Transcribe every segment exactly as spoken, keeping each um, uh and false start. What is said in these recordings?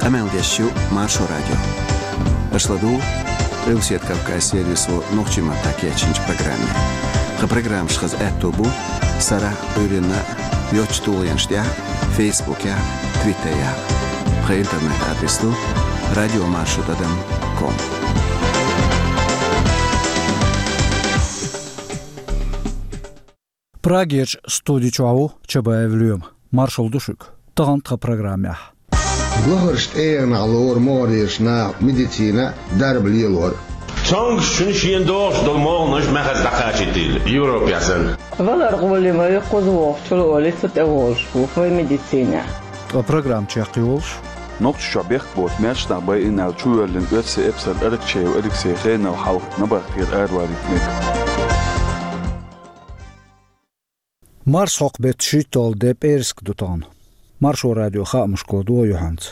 Къамел деш ю Маршо радио. Аша ладугӀу Къилбаседа Кавказан сервисо нохчийн маттахь кечйинчу программе. Тхан программаш хаза аьтто бу сарахь а, Ӏуьйранна а йоцчу тулгӀенаш тӀехь а, Фейсбукехь а, Твиттерехь а. Тхан интернет-адрес ду радиомаршо тӀадам ком. Прагерчу студи чохь ву Чабаев Лоьма. Маршалла ду шуьга. Тахана тхан программехь: лахарчу тӀегӀанехь лору могӀарерчу наха медицина а, дарба лелор а. Цомгушчун шена догӀуш долу могӀанаш маьхаза дӀакхачийтийла Европехь санна. Валар гӀоле ма ю кхуза вохучул олий, цу тӀе волуш ву вай медицинехь. Ткъа программа чекхйолуш: Нохчийчохь бехк боцу маьрша нах байина аьлла чувоьллина оьрсийн эпсар Аракчеев Алексей хенал хьалха набахтера араваьлла мега. Марсхьокху беттан шийтталгӀа де, пӀераска ду тахана. Маршо радион хаамашка ладогӀа юьхьанца.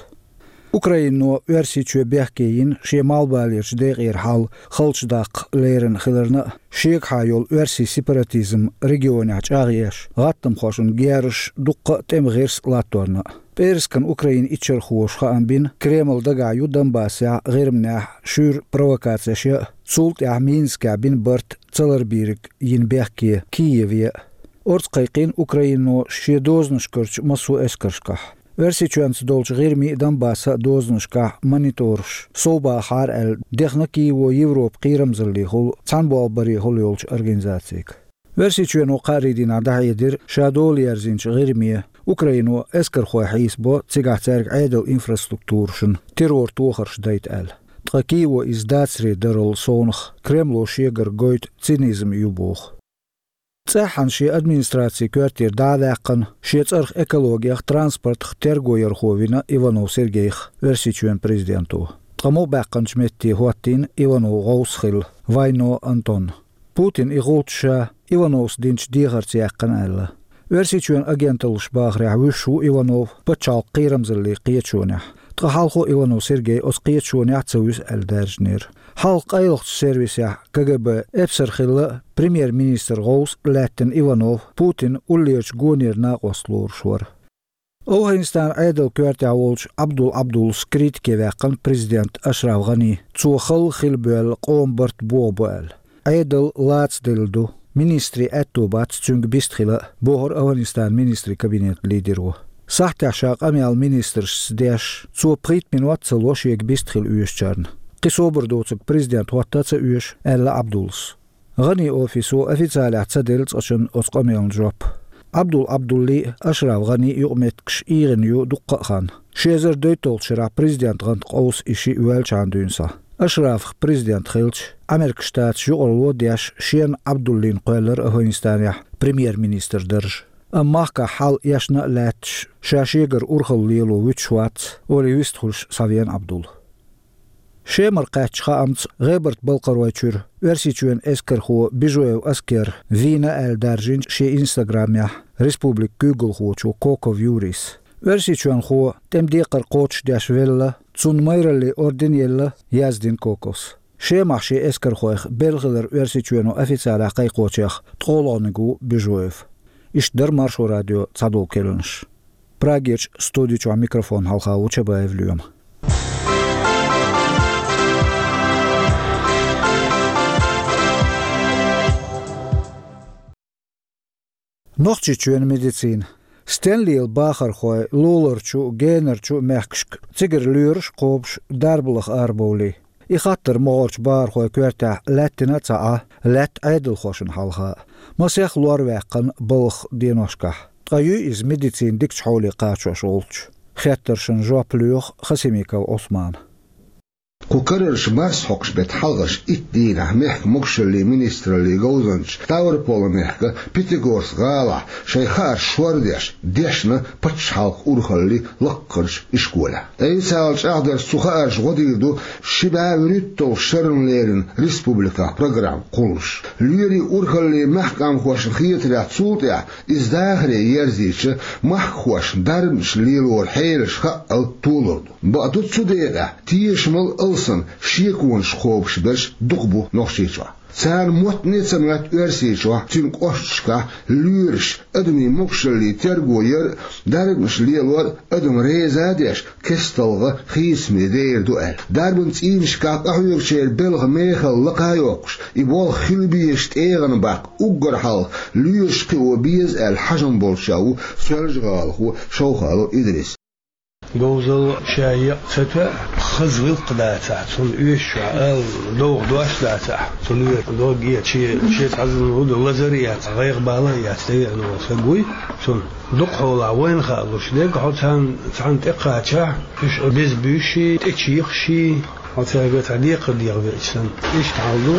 Украино Оьрсийчоь бехке йина шен малхбалерчу декъера хьал халчу даккха лерина хиларна а, шегахьа йолу оьрсийн сепаратизм регионехь чӀагӀъеш, гӀаттамхошна герзаш дуккха а тӀеман гӀирс латторна а. ПӀераскан Украинан иччархоша хаам бина, Кремль дагахь ю Донбассехь а, ГӀирманехь а шуьйра провокацеш ян а, цул тӀаьхьа Минскехь бина барт ца ларбийриг йина бехке Киеве а. Орца кхайкхийна Украино шен дозанашкарчу массо а эскаршкахь. Оьрсийчоьнца долчу ГӀирмин а, Донбассан а дозанашкахь монитораш совбахахьара аьлла, дехна Киево Европан кхерамзаллехула, цхьаьнаболх барехула йолчу организацига. Оьрсийчоьно кхаарин дийнахь дӀахьедира ша дола ерзийначу ГӀирме, Украино эскархой хьийсабо, цигахь цаьрга Ӏедалан инфраструктурашна террор тохарш дайта аьлла. Ткъа Киево иза дацаре дарал совнаха, Кремло шегара гойту цинизм ю боху. ЦӀеххьана шен администрацин коьртера дӀа а ваьккхина, шен цӀарах экологех, транспортах терго ярхо вина Иванов Сергейх Оьрсийчоьнан президенто. Ткъа муха баьккхинчу метте хӀоттийна Иванов гӀовс хилла, Вайно Антон. Путина и гӀулч ша Ивановс динчу дехарца яьккхина аьлла. Оьрсийчоьнан агенталлаша бахарехь, вуьсуш ву Иванов пачхьалкхан кхерамзаллин кхеташонехь. Ткъа хьалхо Иванов Сергей оцу кхеташонехь а ца вуьсу аьлла даьржинера. Хьалха къайлахчу сервисехь, КГБ, эпсар хилла а, премьер-министран гӀовс а лаьттина Иванов Путинан уллерачу гонера накъост лоруш вара. АфгӀанистанан Ӏедалан коьртехь волчу Ӏабдул Ӏабдуллас критике ваьккхина президент Ашраф ГӀани, цо халла хила боьлла къоман барт бохабо аьлла. Ӏедал лацаделла ду, министрийн аьтто бац цуьнга бист хила а, бохура АфгӀанистанан министрийн кабинетан лидеро. Сахьтехь ша къамел министрашца деш, цо пхийтта минот а ца ло шега бист хила оьшучарна. Кхин собар доцург президент хӀотта а ца оьшу, аьлла Ӏабдуллас. ГӀанин офисо официалехь ца делла цкъачунна оцу къамелна жоп. Ӏабдул Ӏабдуллин а, Ашраф ГӀанин а юкъаметтигаш эгӀна ю дуккха а хан. Ши эзар дейтталгӀачу шарахь президентан гӀанта къовса и шиъ воьллачхьана дуьйна схьа. Ашрафах президент хилча, Ӏамеркан Штаташ юкъаралло а деш, шена Ӏабдуллина кхоьллира АфгӀанистанехь премьер-министран дарж. Амма махкахь хьал эшна а лаьтташ, ша шегара урхалла лело вуьтуш вац, олий вистхуьлуш схьавеана Ӏабдулла. Шемара кхаьчначу хаамца, ГӀебарта-Балкхаройчуьра Оьрсийчоьнан эскархо Бижоев Аскер вийна аьлла даьржинчу шен инстаграмехь республикан куьйгалхочо Коков Юрийс. Оьрсийчоьнхо тӀеман декхар кхочушдеш велла, цунна майраллин орден елла, яздина Коковс. Шемахь шен эскархойх белла хилар Оьрсийчоьно официалехь кхайкхочех ткъолгӀаниг ву Бижоев. Иштта дара Маршо радион цхьадолу керланаш. Прагерчу студи чохь микрофон хьалха ву Чабаев Лоьма. Нохчийчоьнан медицина. Стенлера бахархой луларчу а, генарчу а мехкашка цигара лоьраш а кхобуш, дарба лаха арабовлий. И хаттар могӀарчу бахархойн коьртехь лаьттина а ца Ӏа, лаьтта Ӏедалхошна хьалха а. Масех лор ваьккхина балхах деношкахь. Ткъа юй иза медицина дикачу хьоле кхачош волчу? Хеттаршна жоп лоьху Хасимиков Ӏусмана. Кху карарчу марсхьокхуш беттан хьалхарчу итт дийнахь мехкан могушаллин министраллин говзанчаша Ставрополан мехкан Пятигорск гӀалахь шайн хаарш шордеш дешна пачхьалкхан урхаллин лаккхарчу ишколехь. Айса ала чӀагӀдарца, цу хаарша гӀо дийр ду ши бӀе вуьрхӀитталгӀачу шарна леррина республикехь программа кхуллуш. Лоьрийн урхаллин мехкан къаьмнашна хетарехь, цул тӀаьхьа иза дахаре ерзийча, махкахошна дарбанаш лелоран хьелаш хаъал толур ду. Бакъду, цу декъехь тешамал Санна шеконаш кхобуш берш дукха бу Нохчийчохь. Царна моттане а ца моьтту Оьрсийчохь, цуьнан кӀошташкахь лоьраш адамийн могушаллин терго яр а, дарбанаш лелор а адам реза а деш, кестта хийцамаш дер ду аьлла. Дарбан цӀийнашкахь къахьоьгучеран белхан мехалла лакха а йоккхуш, и болх хила безаш тӀегӀан баккха уггар хьалха лоьраш кхио беза аьлла хьажам болчех ву Соьлжа-ГӀалахо Шовхалов Идрис. Говзалла ша екъа ца тоьа, хаза гӀиллакх дацахь, цунна оьшучохь ала довха дош дацахь, цунна оьшу дог а, шен, шен цхьа зуламаш а ду, лазар а яц, гӀайгӀа-бала а яц, тӀевеана волу стаг вуй, цунна дукха хьолахь вайна хаалуш дерг, хьо царна, царна тӀекхачахь, уьш беза буьйш, тӀечийхаш, хьо цаьрга цхьа декхар деха веача санна. Иштта хьал ду,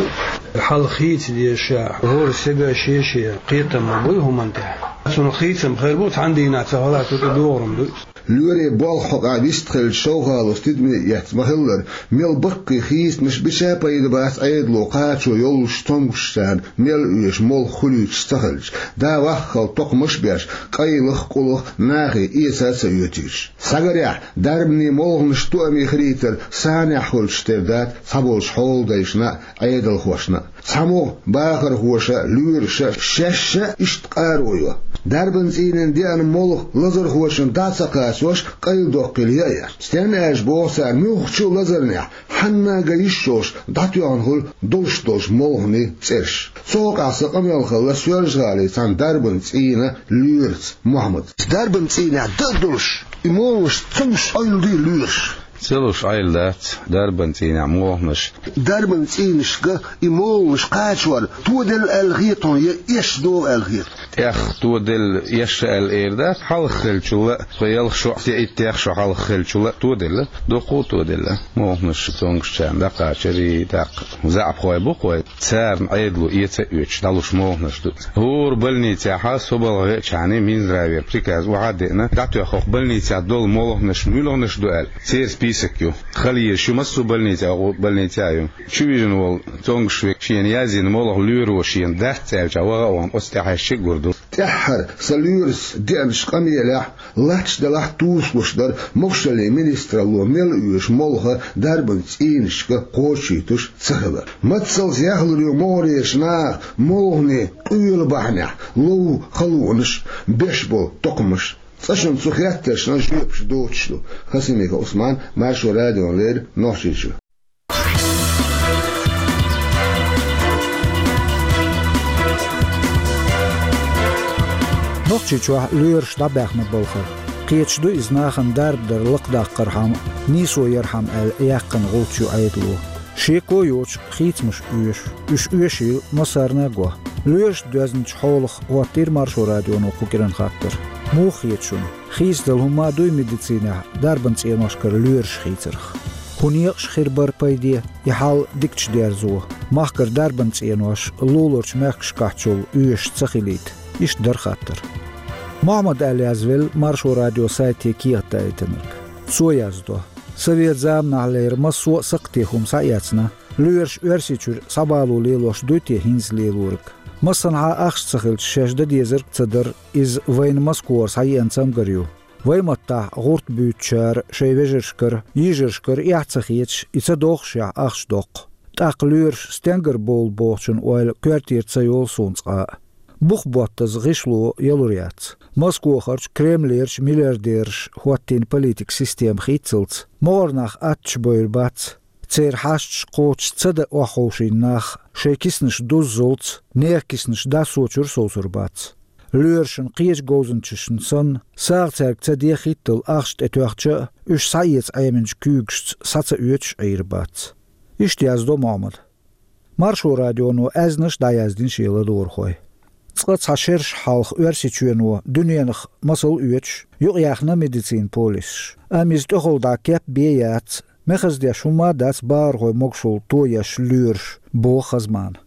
хьал хийца деза ша, хӀора стеган шен-шен кхетам ма буй хӀуманна тӀехь. Цунах хийцам хир бу, цхьана дийнахь ца хилахь, цу тӀе догӀург ма дуй. Лоьрийн болх хьокъехь вистхилча, Шовхаловс тидаме эцна ма-хиллара, мел баккхий хийцамаш бича а пайда бац Ӏедало кхачо йоллуш цомгушчарна мел оьшу молха хуьлуьйтуш ца хилча, да ваххал токхамаш а беш, къайлах а, къулах а нахе эца а ца оьцуьйтуш. Схьагарехь, дарбанийн молханаш тоаме хилийтар санехь хуьлуш тера дац цхьаболчу хьолдайшна а, Ӏедалхошна а. Цхьа могӀа бахархоша а, лоьраша а, шаьш а иштта къаро йо. Дарбан цӀийнан деана молха лазархошна дӀа а ца кхачош, къайладоккхийла яа еш. Стенна аьлча, боху цара, муьлххачу а лазарнехь хьанна а ган йиш йолуш дӀатоьхна хуьлу долуш долчу молханийн цӀераш. Цу хьокъехь сан къамел хилла Соьлжа-ГӀалин цхьана дарбан цӀийнан лоьраца Мохьмада. Дарбан цӀийнехь дан а долуш, и молханаш ца луш Ӏойла дуй лоьраш? Ца луш Ӏойла дац дарбан цӀийнехь молханаш. Дарбан цӀийнашка и молханаш кхачор тоделла аьлла хета хьуна, я эшна догӀу аьлла хета? ТӀех тоделла, эшна аьлла эр дац, хьалха хиллачул а, тхо ялх шо а, я иттех шо хьалха хиллачул а тоделла, дуккха а тоделла. Молханаш цомгушчарна дӀакхачар, и тӀаккха заьӀапхой бу-кх вай. Царна Ӏедало эца а оьцуш дӀалуш молханаш ду. ХӀора больницехь со балха веачхьана Минздравера приказ охьа а деана, дӀатоьхна хӀокху больницехь долу молханаш муьлханаш ду аьлла, церан список ю. Хала езаш ю массо а больницехь, хӀокху больницехь а ю. Чувижина волу цомгуш верг шена яздина молха лоьро шена дац аьлча, ваха а вахана, оцу тӀаьхьаьжча а гур ду. ТӀаьххьара сан лоьрас деанчу къамелехь, латташ делахь а, тосуш дара могушаллин министралло мел оьшу молха дарбан цӀийнашка кхочушйитуш ца хилар. Мацаллица яхлур ю могӀарерчу наха молханийн къоьлла бахьанехь ловза халонаш, беш болу токхамаш. Цкъа шуна цу хеттаршна жоьпаш доцуш ду. Хасимиков Ӏусман, Маршо радиона леррина, Нохчийчоь. Нохчийчохь лоьраш дӀабаьхна балхара. Кхеташ ду иза нахана дарба дар лакхадаккхархьама, нийсо ярхьама аьлла яьккхина гӀулч ю Ӏедало. Шеко йоцуш хийцамаш оьшу. Уьш оьшийла массарна а го. Лоьрашна доьзначу хьолах хӀоттийра Маршо радионо кху кӀиран хаттар. Муха хета шуна, хийцадала хӀума а дуй медицинехь дарбан цӀеношкара лоьраш хийцарх? ХӀун некъаш хир бара пайде, и хьал дикачу дерзо? Махкара дарбан цӀенош луларчу мехкашкахьчул оьшуш ца хилийта? Иштта дара хаттар. Мохьмада аьлла язвелла Маршо радион сайте кехат даийтинарг. Цо яздо: Совет заманахьлера массо а сакхте хӀума схьаэцна. Лоьраш Оьрсийчуьра схьабало лелош дуй те хӀинца лелориг? Массанхьа ахча ца хилча, шаьш дан дезарг а ца дара, иза вайна Москвара схьаеана цамгар ю. Вайн маттахь гӀурт буьйцучара шайн вежаршкара, йижаршкара эхь ца хеташ, и ца дохушехь, ахча доккху. ТӀаккха лоьраш стенгара бовлу бохучун ойла коьртера ца йолу суна цкъа а. Бух боттаза гӀишло ялур яц. Москвахарчу, Кремлерчу миллиардераш хӀоттийна политикан система хийццалц, могӀарнах аттачу бевр бац. Церан хьашташ кхочуш ца дан охьаховшийна нах, шайн киснаш дуззалц, нехан киснаш дассочуьра совцур бац. Лоьрашна кхечу говзанчашна санна, сагӀа цаьрга ца де хӀиттал ахча тӀетоьхча а, уьш схьаэца Ӏеминчу куьйгашца схьа ца оьцуш Ӏийр бац. Иштта яздо Мохьмада. Маршо радионо аьзнаш а дӀаяздина шен ладогӀархой. Цкъа цхьа шераш хьалха Оьрсийчоьно дуьненах масал оьцуш, юкъаяьхна медицинан полисаш. Амма иза тӀехула дӀа кеп бен яц, мехаза деш хӀума а дац бахархой могушалла тоеш лоьраш, боху Хазмана.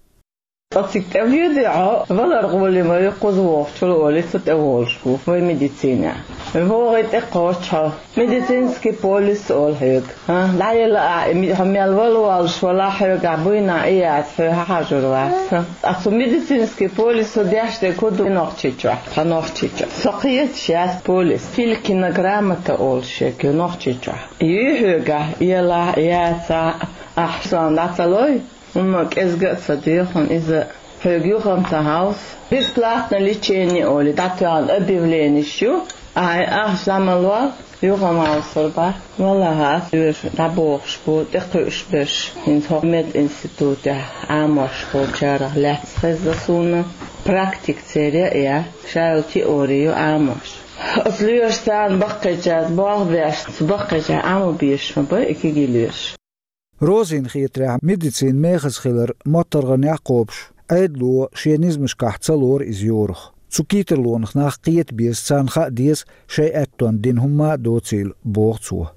Ткъа цига тӀевоьдий хьо, валар гӀоле ма ю кхуза вогӀучул, олий, цу тӀеволуш ву вай медицинехь. ВогӀий тӀе кхоччахьа. Медицинский полис олу хьоьга. ХӀа, дӀаяла а, ми-, хьо мел вала волуш вала хьоьга буйна и яц, хьо хьан хьажур вац. ХӀа. Ацу медицинский полис со деш де куду Нохчийчохь, тхан Нохчийчохь. Со кхеташ яц полис. Филькина грамота олуш ю Нохчийчохь. Юй хьоьга, яла яца, ахь сан дӀа ца лой? ХӀумма кӀезга а ца доьху иза, хьоьга юхам ца хьовса. Бесплатно лечение олий, дӀатоьхна объявленеш ю, ахьа ахча дӀа ма лол, юхам хьовсур бац. Валлахьи, ас оьшу дӀабохуш бу, тӀекхуьуш берш, хӀинца хӀокху мединститутехь Ӏамош болчарах лаьцна хезна суна, практика церан а я, ша йолу теори ю Ӏамош. Ас лоьшу царна баккхийчаьрца болх беш, цу баккхийчохь Ӏамо безаш ма бай и кегий лоьраш. Розин хетарехь, медицина мехаза хилар моттаргӀанехь кхобуш, Ӏедало шен низамашкахь ца лору иза йорах. Цу кийтарлонах нах кхета беза, царна хаа деза, шайн аьттонна дина хӀумма а доцийла, боху цо.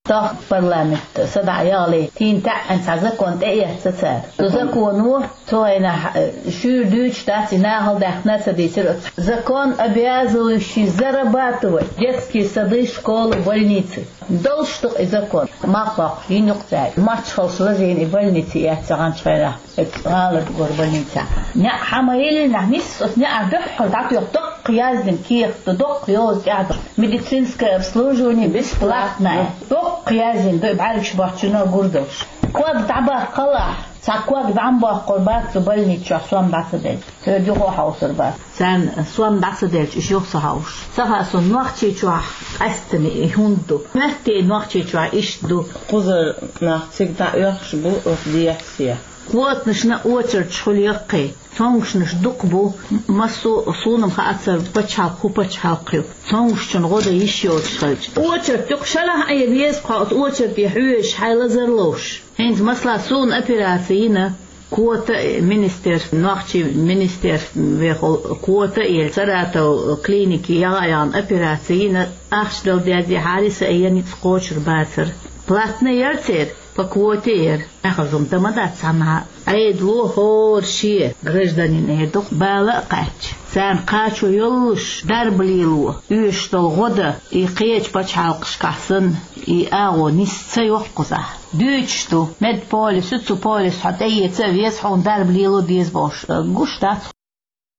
Тахка парламент садаӀа яхале, тийна таьӀӀина цхьа закон тӀеэцна цара. Цу законо цу хенахь, э, шуьйра дуьйцуш дац, и нахала даьхна а ца дийцира оцу. Закон, обязывающий зарабатывать детские сады, школы, больницы. Долуш ду-кх и закон, мах доккхуш йина ю-кх цара. Мачхалш лазийна и больница эцна гӀанчхьайрахь, оцу гӀаларгора больницехь. НеӀ хьан ма йиллинехь, нисса оцу неӀар дуьххьал дӀатоьхна доккха яздина кехат ду, доккха йоза тӀехь ду. Медицинское обслуживание бесплатное. Доккха яздина ду, и бӀаьргаш боцчунна гур долуш. Ког дӀабаккхал ахь, цхьа ког дӀа ма боккхур бац цу больницехь, сом дӀа ца делча. Цуьнан юха хьовсур бац. Царна сом дӀа ца делча, уьш юха ца хьовсуш. Ца хаьа суна, Нохчийчохь къаьстина и хӀунда ду. Моьттий Нохчийчохь иштта ду. Кхузара нах цига дӀаоьхуш бу оцу дехьа-сехьа. Квотанашна очередаш хуьлу яккхий. Цомгушнаш дукха бу. Массо а суна-м хаацара пачхьалкх хӀун пачхьалкх ю. Цомгушчун гӀо дан йиш йоцуш хилча. Очередь ю-кх, шалахь Ӏе веза-кх хьо оцу очереде хьоьжуш, хьайн лазар ловш. ХӀинца, масала, суна операци йина, квота а министерств-, нохчийн министерствехула квота а елла, Саратов клинике яха а яхна операци йина, ахча дала деза, хьаьрса а ян ницкъ кхочур бацара. Платный яра церан, по квоте яра. Ахьа хӀума дан ма дац цхьаннахьа. Ӏедало хӀора шен гражданин эр ду-кх, бала а кхаьчча, царна кхачо йоллуш дарба лело, оьшуш долу гӀо дан, и кхечу пачхьалкхашкахь санна, и агӀо нисса ца йо-кх кхузахь. Дуьйцуш ду, медполис ю, цу полисо хьо тӀеэца а веза, хьуна дарба лело деза бохуш, гуш дац.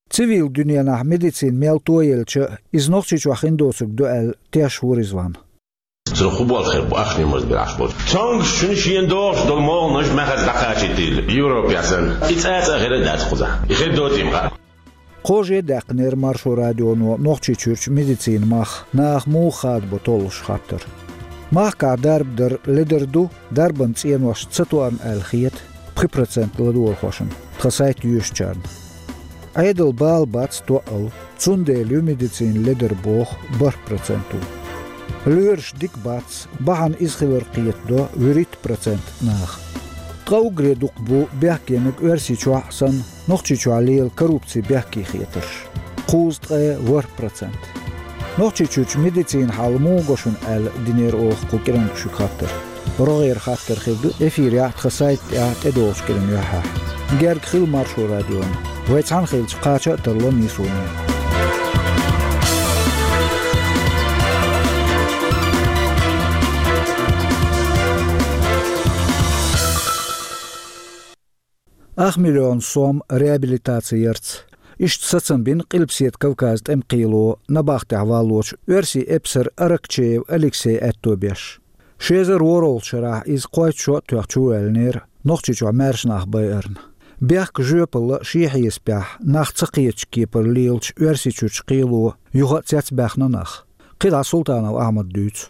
Цивил дуьненахь медицина мел тоелча а, иза Нохчийчохь хин доцург ду аьлла, тешна ву Ризван. Цунах хӀун болх хир бу ахчанийн маза бира Ӏаш болчу? Цомгушчунна шена догӀуш долу могӀанаш мехаза дӀакхачийтийла, Европехь санна. И цкъа а хир а дац кхузахь. И хир доций-м хаьа. Кхо жа даьккхинера Маршо радионо Нохчийчуьрчу медицинан мах, наха муха хадабо толлуш хаттар. Махкахь дарба дар ледара ду, дарбан цӀенош ца тоам аьлла хета пхи процент ладогӀархошна, тхан сайт йоьшучарна. Ӏедал бала бац тоъал, цундела ю медицина ледара боху бархӀ процент ву. Лоьраш дика бац, бахьана иза хилар кхетадо вуьрхӀитта процент наха. Ткъа уггаре дукха бу бехкениг Оьрсийчохь а санна, Нохчийчохь лела коррупцин бехке хетарш. Кхузткъе ворхӀ процент. Нохчийчуьрчу медицинан хьал муха го шуна аьлла динера оха кху кӀиранга шуьга хаттар. РогӀера хаттар хир ду эфирехь а, тхан сайта тӀехь а тӀедогӀучу кӀиран юьххьехь. Герга хила Маршо радиона. Вай цхьаьна хилча, кхача а тарло нийсонехь. Ах миллион сом реабилитаци ярца. Иштта сацам бина Къилбаседа Кавказан тӀеман кхело набахтехь валлочу оьрсийн эпсар Аракчеев Алексей аьтто беш. Ши эзар ворхӀалгӀачу шарахь иза кхойтта шо а тоьхна чу а ваьллинера, Нохчийчохь маьрша нах байарна. Бехк жоьпалла а шен хьесапехь, нах ца кхетачу кепара лелачу Оьрсийчуьрчу кхело юха а цецбаьхна нах. КхидӀа Султанов Ахьмада дуьйцу.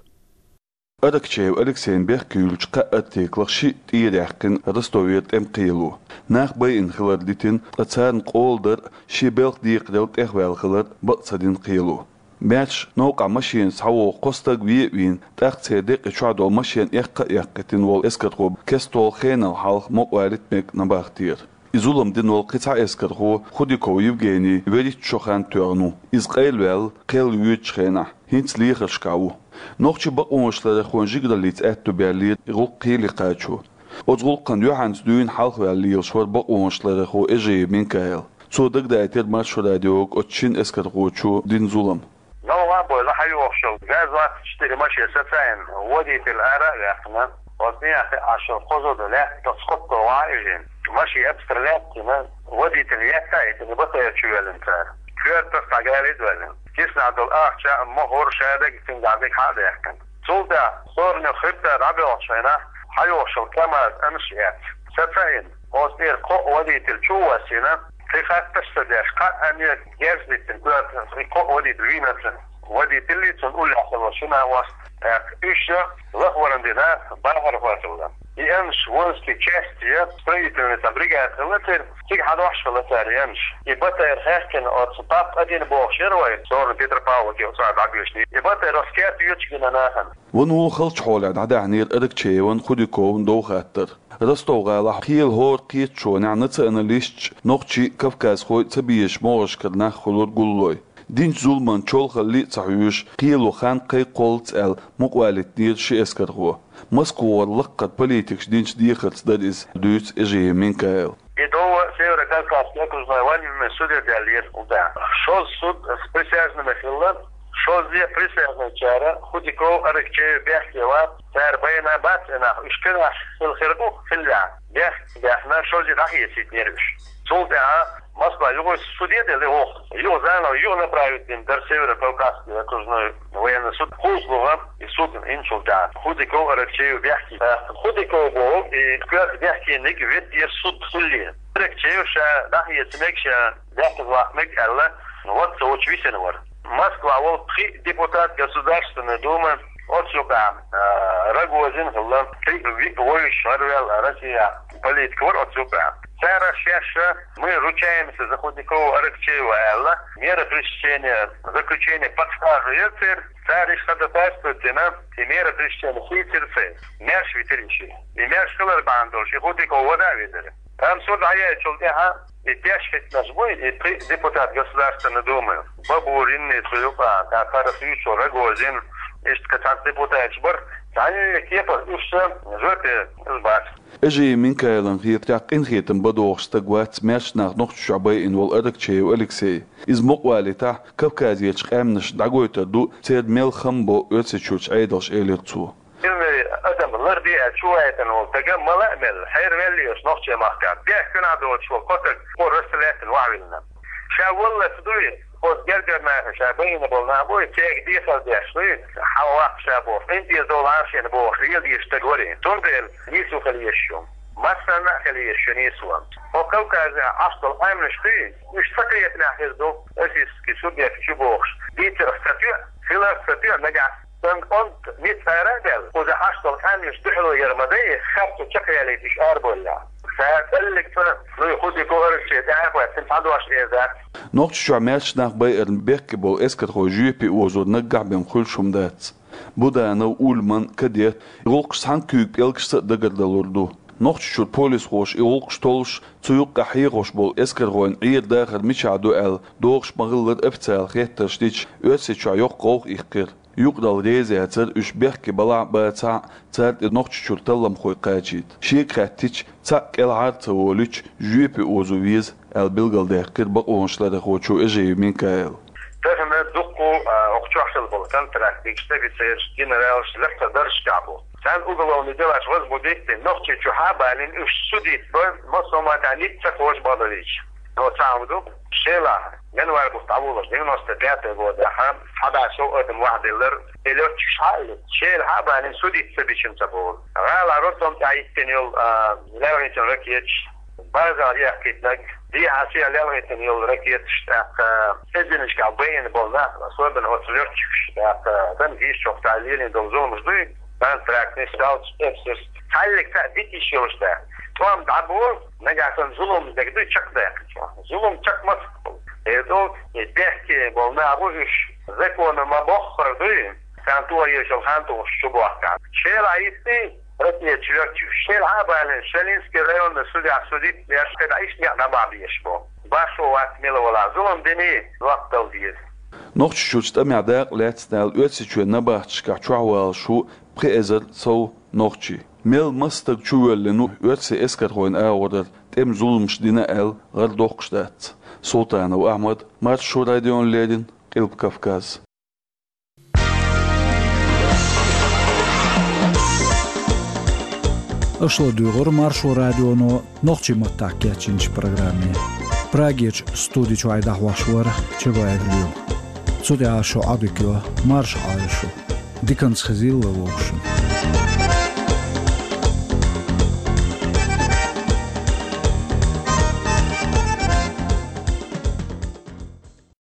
Аракчеев Алексейн бехк юьйлучу кхаа аттиклах шиъ тӀера яьккхина Ростовера тӀеман кхело. Нах байина хилар дитина, ткъа царна къола дар а, шен белхан декхаралла тӀехваьлла хилар бакъ ца дина кхело. Маьрша новкъахь машенаш схьавогӀу кхо стаг вен а вийна, тӀаккха церан декъий чохь долу машен эккха а эккхийтина волу эскархо кеста хенал хьалха мукъавалийта мега набахтера. И зулам дина волу кхин цхьа эскархо Худиков Евгений вуьрхӀитта шо хан тоьхна ву. Иза къайлаваьлла кхел воьдучу хенахь, хӀинца лехаршкахь ву. Нохчийн бакъонашларъярхойн жигараллица аьтто баьллера и гӀуллакх кхеле кхачо. Оцу гӀуллакхна юьхьанца дуьйна хьалхаваьлла лелаш вара бакъонашларъярхо Эжиев Минкаил. Цо дагадайтира Маршо радиога оцу шина эскархочо дина зулам. Новкъа а бойла, хьайо Шел газват четыре машина социально. Водитель ара вяхна. Вот не ахи ашел козода лет, то сколько ваижин. Маши обстрелять, на водитель летает, не батая чуялен цар. Квертер тагалит вален. Кис надо ахча, мохор шадак, тин дадик хадяхкан. Сулда, сорню хребта рабел шайна, хайошел камаз аншият. Социально. Оз эр ко водитель чувасина, ты хатташ садяш, ка ане герзлитин, куда ко водитель винацин. Водитель лицун уляхало шина вас, так, ещё лахварандина, бахар хватылда. И анш воинский части, строительный там бригада, латер, тик хадош латер анш. И батер хехкен от пап один бог шервай, сорн Петропавловки, от сад обычный. И батер раскет ючгина нахан. Вон вон халч холад, хада хнир Аракчееван Худякован дохаттар. Ростов гӀалахь кхел хӀор кхеташонехь националисташ нохчий кавказхой ца бийраш могӀашкара нах хуьлура гуллой. Динчу зуламан чолхалли а ца хьоьжуш, кхело хан кхайкхоллац аьлла, мукъавалийтинера ши эскархо. Москвара лаккхара политикаш динчу дехарца дара иза, дуьйцу Эжиев Минкаила. И до Северо-Кавказский окружной военный суде даьллера, да. Шозза суд с присяжными хилла, шозза присяжныйчара Худяков, Аракчеев бехке вац, цара байна бац и нах, уьш кхинаш хила хир бу, хилла. Бехк баьхна, шозза дӀахецийтинера уьш. Цул тӀаьхьа Москва юха суде делла, юха, юха заново, юха направить дина дара Северо-Кавказский окружной военный суд. ХӀузлуха и суд инчул тӀаьхьа Худяков, Аракчеев бехке. Худяков боху, и коьрта бехкениг веддера суд хилла. Аракчеев ша дӀахеца мег, ша бехказа ваккха мег аьлла, вот цо вучу висина вара. Москва волу пхи депутат Государственной Думы, оцу юкъа, а, Рогозин хилла, пхи ви-, вовшаш гӀарваьлла Россия политик вара оцу юкъа. Цара шаьш, мы ручаемся за Худякова, Аракчеева аьлла, мера пресечения, заключение под стражу яра церан, цара иштта ходатайство дина, и мера пресечения хийцира церан. Маьрша витира и ши. И маьрша хилар бахьана долуш, и Худяков вада а витира. Амма суд дӀаяьллачул тӀаьхьа и деш хӀиттинарш буй, и пхи депутат Государственной Думы, Бабурин, и цу юкъа, тӀаккха Рахичу, Рогозин, иштта цхьацца депутаташ бара, цхьанна кепара уьш сан жоьпе уьш бац. Эжиев Минкаилан хетарехь, къинхетам бан догӀуш стаг вац маьрша нах Нохчийчохь байина волу Аракчеев Алексей. Иза мукъавалийтахь, Кавказерчу къаьмнашна дӀагойтур ду, церан мел хам бо Оьрсийчуьрчу Ӏедалша, элира цо. Миллион адам ларбе аьлла чуваийтина волу стага мала а мелла, хьервеллера нохчийн махкахь. Бехк куьнахь доцуш волу кхо стаг кхо расстрелятина вахьвиллина. Ша валлалц дуй, оцу гергара наха ша байина болу нах буй, церга дехар деш дуй, хьан ваккха ша бохуш, къинтӀера довла Ӏаршина бохуш, леладийша стаг варий. Цундела нийсо хила езаш ю. Массарна а хила езаш ю нийсо. Хьо Кавказехь Ӏаш долу къаьмнаш дуй, уьш ца кхетамехь хир ду, российский субъект ю бохуш, дийцарх ца тоьа, хиларх ца тоьа нагахь. Сан кӀант ницкъ ара а даьлла, кхуза Ӏаш долу къаьмнаш дуьхьало яр ма дай, харцо чекхъялийта уьш арабовллехь. Ша кӀаллиг ца, ну, и Худяков, Аракчеев тӀе а хоьттина, цхьа дош эр дац. Нохчийчохь маьрша нах байарна бехке болу эскархой жоьпе озор наггахь бен хуьлуш хӀума дац. Буданов, Ульман, Кадет, гӀуллакхаш цхьана куьйга пӀелгашца а дагардалур ду. Нохчийчуьра полисхоша и гӀуллакхаш толлуш, цу юккъехь хьехош болу эскархойн Ӏер-дахар мичахь ду аьлла, догӀуш ма-хиллара официалан хеттарш дича, Оьрсийчохь йоккха гӀовгӀа иккхира. Юкъаралла реза яцара уьш бехке балахь а, бацахь а, цара тӀе Нохчийчуьра талламхой кхачийта. Шега хаьттича, цхьаъ кӀелхьара а ца волуьйтуш, жоьпе озо веза, аьлла билгалдаьккхира бакъонашларъярхочо Эжиев Минкаила. Тахана дуккха, а, окху чохь хилла болу контрактникаш, офицераш, генералаш лакхара даржашкахь бу. Царна уголовный делаш возбудить дина, Нохчийчу хьа а балийна, уьш судить бан, массо а матта ницкъ ца кхочуш бала вийча. Но цхьа хӀума ду, Шелахь, январь бутт дӀавуллуш, девяносто пятый годехь, цхьа бӀе сов адам вахьделлар, и лётчикаш хьа а лита, Шелахь а балийна, судить ца бичина ца боху. ГӀала роддом тӀехь йиттина йолу, а, лелхийтина ракеташ, база яьккхийтинарг, дехьа сел лелхийтина йолу ракеташ, тӀаккха эзарнашкахь байина болу нах, особенно оцу лётчикаш, тӀаккха танкисташна чохь цхьа лелийна долу зуламаш дуй, контрактный, сталкер, эпсерс. Цхьаьллиг цхьаъ дитиш йолуш дац. ТӀом дӀаболу, нагахь санна зулам дерг дуй чекхдаккхачохь. Зулам чекх маца болу. Эр ду, и бехке болу нах бу уьш, законо ма-боххара дуй, царна тоха езаш йолу хан тухуш чу бохкахь. Шелахь йиттий, ракеташ лётчикаш, Шелахь а балийна, Шелинский районный судья судить деш, кхидӀа иштта некъ дӀабахьа безаш бу. Башхо вац мила валахь, зулам динарг лоттал деза. Нохчийчуьрчу тӀамехь дакъа лаьцна аьлла, Оьрсийчоьнан набахташкахь чохь валалуш ву пхи эзар сов нохчи. Мел маса стаг чувоьллина ву оьрсийн эскархойн агӀорара, тӀеман зуламаш дина аьлла, гӀар доккхуш дац. Султанов Ахьмад, Маршо радиона леррина, Къилба Кавказ. Аша ладугӀура Маршо радионо нохчийн маттахь кечйинчу программе. Прагерчу студи чуьра дӀахьош вара Чабаев Лоьма. Цу тӀехь шун Ӏадика йо, марша Ӏойла шу. Диканца хезийла вовшашна.